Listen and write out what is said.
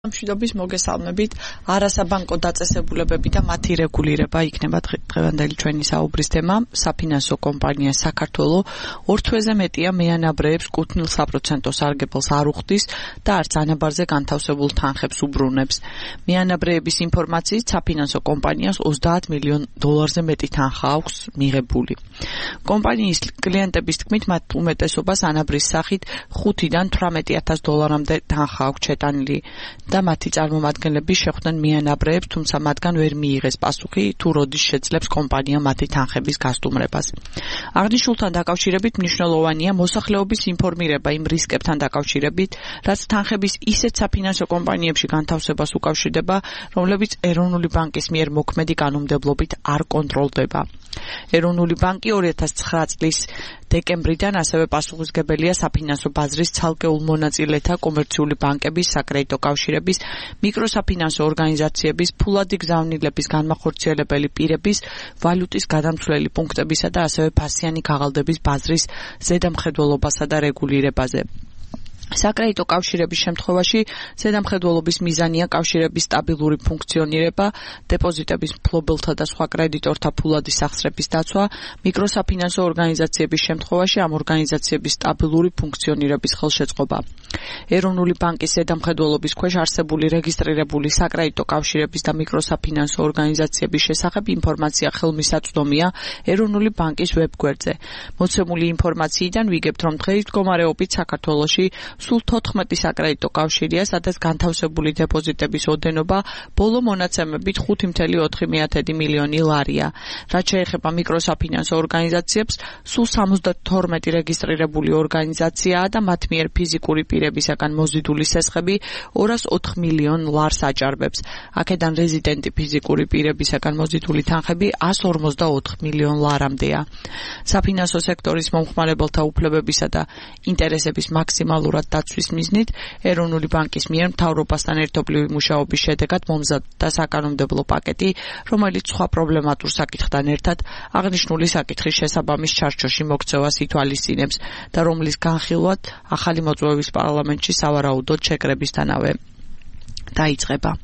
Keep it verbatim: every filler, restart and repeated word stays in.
მშვიდობის მოგესალმებით. არასაბანკო დაწესებულებები და მათი რეგულირება იქნება დღევანდელი ჩვენი საუბრის თემა. საფინანსო კომპანია საქართველო ორ თვეზე მეტია მეანაბრეებს კუთვნილ საპროცენტო სარგებელს არ უხდის და არც ანაბარზე განთავსებულ თანხებს უბრუნებს. მეანაბრეების ინფორმაციით საფინანსო კომპანიას ოცდაათ მილიონ დოლარზე მეტი თანხა აქვს მიღებული. კომპანიის კლიენტების თქმით, მათ უმეტესობას ანაბრის სახით ხუთიდან თვრამეტი ათას დოლარამდე თანხა აქვს ჩეტანილი და მათი წარმომადგენლები შეხვდნენ მეანაბრეებს, თუმცა მათგან ვერ მიიღეს პასუხი, თუ როდის შეძლებს კომპანია მათი თანხების გასტუმრებას. აღნიშნულთან დაკავშირებით მნიშვნელოვანია მოსახლეობის ინფორმირება იმ რისკებთან დაკავშირებით, რაც თანხების ისეთ საფინანსო კომპანიებში განთავსებას უკავშირდება, რომლებიც ეროვნული ბანკის მიერ მოქმედი კანონმდებლობით არ კონტროლდება. ეროვნული ბანკი ორი ათას ცხრა წლის დეკემბრიდან ასევე პასუხისმგებელია საფინანსო ბაზრის ცალკეულ მონაწილეთა, კომერციული ბანკების, საკრედიტო კავშირების, მიკროსაფინანსო ორგანიზაციების, ფულადი გზავნილების განმახორციელებელი პირების, ვალუტის გადამცვლელი პუნქტებისა და ასევე ფასიანი ქაღალდების ბაზრის ზედამხედველობასა და რეგულირებაზე. საკრედიტო კავშირების შემთხვევაში ზედამხედველობის მიზანია კავშირების სტაბილური ფუნქციონირება, დეპოზიტების მფლობელთა და სხვა კრედიტორთა ფულადის სახსრების დაცვა, მიკროსაფინანსო ორგანიზაციების შემთხვევაში ამ ორგანიზაციების სტაბილური ფუნქციონირების ხელშეწყობა. ეროვნული ბანკის ზედამხედველობის ქვეშ არსებული რეგისტრირებული საკრედიტო კავშირების და მიკროსაფინანსო ორგანიზაციების შესახებ ინფორმაცია ხელმისაწვდომია ეროვნული ბანკის ვებგვერდზე. მოცემული ინფორმაციიდან ვიგებთ, რომ დღეის მდგომარეობით საქართველოში სულ თოთხმეტი საკრედიტო კავშირია, სადაც განთავსებული დეპოზიტების ოდენობა ბოლო მონაცემებით ხუთი წუთი ოთხი მილიონი ლარია. რაც შეეხება მიკროსაფინანსო ორგანიზაციებს, სულ სამოცდათორმეტი რეგისტრირებული ორგანიზაციაა და მათ მიერ ფიზიკური პირებისაგან მოზიდული სესხები ორას ოთხ მილიონ ლარს აჭარბებს. აქედან რეზიდენტი ფიზიკური პირებისაგან მოზიდული თანხები ას ორმოცდაოთხ მილიონ ლარამდეა. საფინანსო სექტორის მომხმარებელთა უფლებებისა და ინტერესების მაქსიმალურად დაცვის მიზნით ეროვნული ბანკის მიერ მთავრობასთან ერთობლივი მუშაობის შედეგად მომზადდა საკანონმდებლო პაკეტი, რომელიც სხვა პრობლემატურ საკითხთან ერთად აღნიშნული საკითხის შესაბამის ჩარჩოში მოქცევას ითვალისწინებს და რომლის განხილვად ახალი მოწვევის პარლამენტში სავარაუდოდ შეკრებისთანავე დაიწყება.